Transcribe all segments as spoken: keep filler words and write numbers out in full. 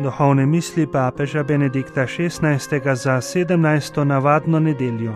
Duhovne misli papeža Benedikta šestnajstega za sedemnajsto navadno nedeljo.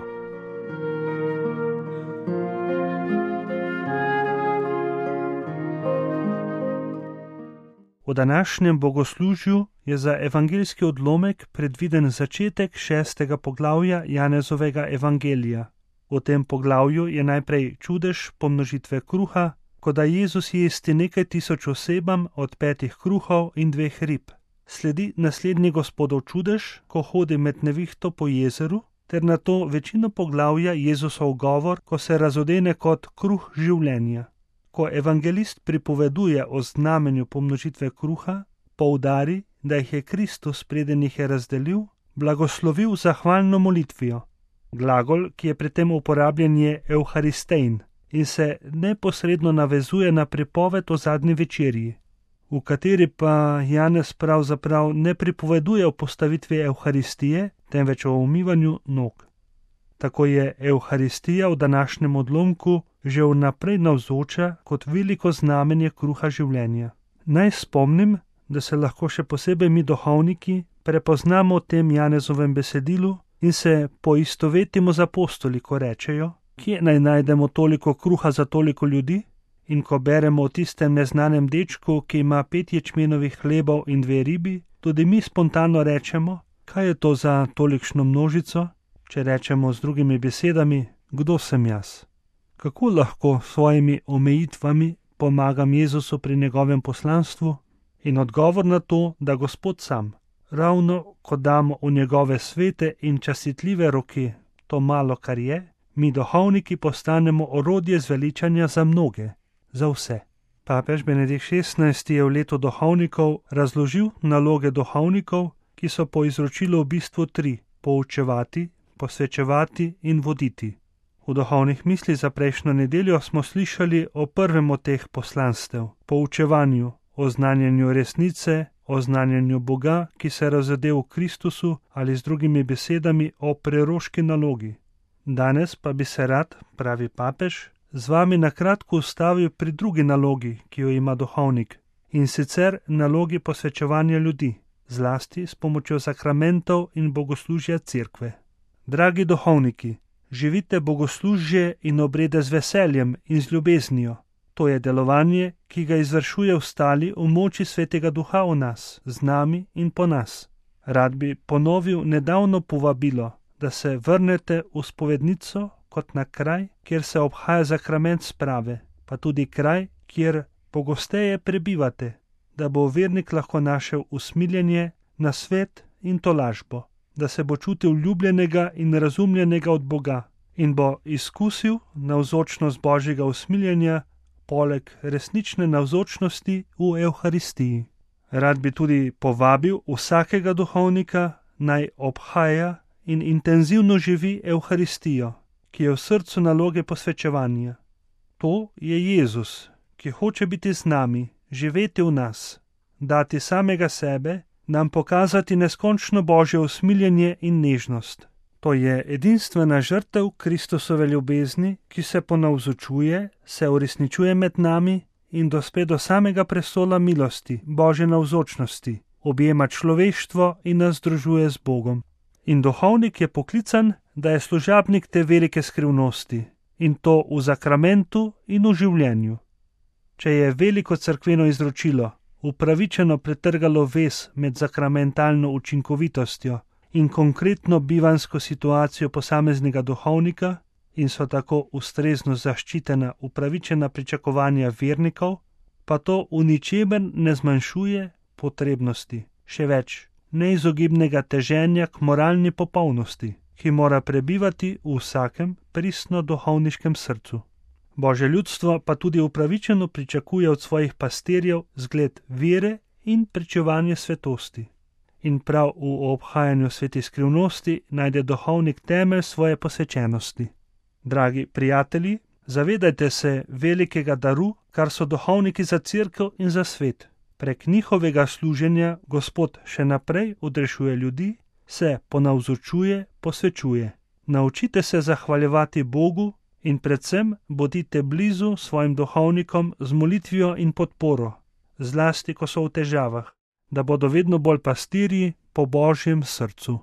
V današnjem bogoslužju je za evangeljski odlomek predviden začetek šestega poglavja Janezovega evangelija. V tem poglavju je najprej čudež pomnožitve kruha, ko da Jezus jesti nekaj tisoč osebam od petih kruhov in dveh rib. Sledi naslednji Gospodov čudež, ko hodi med nevihto po jezeru, ter nato večino poglavja Jezusov govor, ko se razodene kot kruh življenja. Ko evangelist pripoveduje o znamenju pomnožitve kruha, poudari, da jih je Kristus, preden jih je razdelil, blagoslovil zahvalno molitvijo. Glagol, ki je pri tem uporabljen, je euharistein in se neposredno navezuje na pripoved o zadnji večerji, v kateri pa Janez pravzaprav ne pripoveduje o postavitvi evharistije, temveč o umivanju nog. Tako je evharistija v današnjem odlomku že vnaprej navzoča kot veliko znamenje kruha življenja. Naj spomnim, da se lahko še posebej mi duhovniki prepoznamo v tem Janezovem besedilu in se poistovetimo z apostoli, ko rečejo, kje naj najdemo toliko kruha za toliko ljudi, in ko beremo o tistem neznanem dečku, ki ima pet ječmenovih hlebov in dve ribi, tudi mi spontano rečemo, kaj je to za tolikšno množico, če rečemo z drugimi besedami, kdo sem jaz. Kako lahko s svojimi omejitvami pomagam Jezusu pri njegovem poslanstvu? In odgovor na to, da Gospod sam, ravno ko damo v njegove svete in častitljive roke to malo, kar je, mi duhovniki postanemo orodje zveličanja za mnoge, za vse. Papež Benedikt šestnajsti je v letu duhovnikov razložil naloge duhovnikov, ki so po izročilu v bistvu tri: poučevati, posvečevati in voditi. V duhovnih mislih za prejšnjo nedeljo smo slišali o prvem od teh poslanstev, poučevanju, o znanjenju resnice, o znanjenju Boga, ki se razode v Kristusu, ali z drugimi besedami o preroški nalogi. Danes pa bi se rad, pravi papež, z vami na kratko ustavil pri drugi nalogi, ki jo ima duhovnik, in sicer nalogi posvečevanja ljudi, zlasti s pomočjo sakramentov in bogoslužja cerkve. Dragi duhovniki, živite bogoslužje in obrede z veseljem in z ljubeznijo. To je delovanje, ki ga izvršuje ostali v moči Svetega Duha v nas, z nami in po nas. Rad bi ponovil nedavno povabilo, da se vrnete v spovednico kot na kraj, kjer se obhaja sakrament sprave, pa tudi kraj, kjer pogosteje prebivate, da bo vernik lahko našel usmiljenje, nasvet in tolažbo, da se bo čutil ljubljenega in razumljenega od Boga in bo izkusil navzočnost Božjega usmiljenja, poleg resnične navzočnosti v Evharistiji. Rad bi tudi povabil vsakega duhovnika, naj obhaja in intenzivno živi Evharistijo, ki je v srcu naloge posvečevanja. To je Jezus, ki hoče biti z nami, živeti v nas, dati samega sebe, nam pokazati neskončno Božje usmiljenje in nežnost. To je edinstvena žrtev Kristusove ljubezni, ki se ponavzočuje, se uresničuje med nami in dospe do samega prestola milosti, Božje navzočnosti, objema človeštvo in nas združuje z Bogom. In duhovnik je poklican, da je služabnik te velike skrivnosti, in to v sakramentu in v življenju. Če je veliko cerkveno izročilo upravičeno pretrgalo vez med sakramentalno učinkovitostjo in konkretno bivansko situacijo posameznega duhovnika in so tako ustrezno zaščitena upravičena pričakovanja vernikov, pa to v ničemer ne zmanjšuje potrebnosti, še več, neizogibnega teženja k moralni popolnosti, ki mora prebivati v vsakem pristno duhovniškem srcu. Božje ljudstvo pa tudi upravičeno pričakuje od svojih pastirjev zgled vere in pričevanje svetosti. In prav v obhajanju svetih skrivnosti najde duhovnik temelj svoje posvečenosti. Dragi prijatelji, zavedajte se velikega daru, kar so duhovniki za cerkev in za svet. Prek njihovega služenja Gospod še naprej odrešuje ljudi, se ponavzočuje, posvečuje. Naučite se zahvaljevati Bogu in predvsem bodite blizu svojim duhovnikom z molitvijo in podporo, zlasti ko so v težavah. da bodo vedno bolj pastirji po Božjem srcu.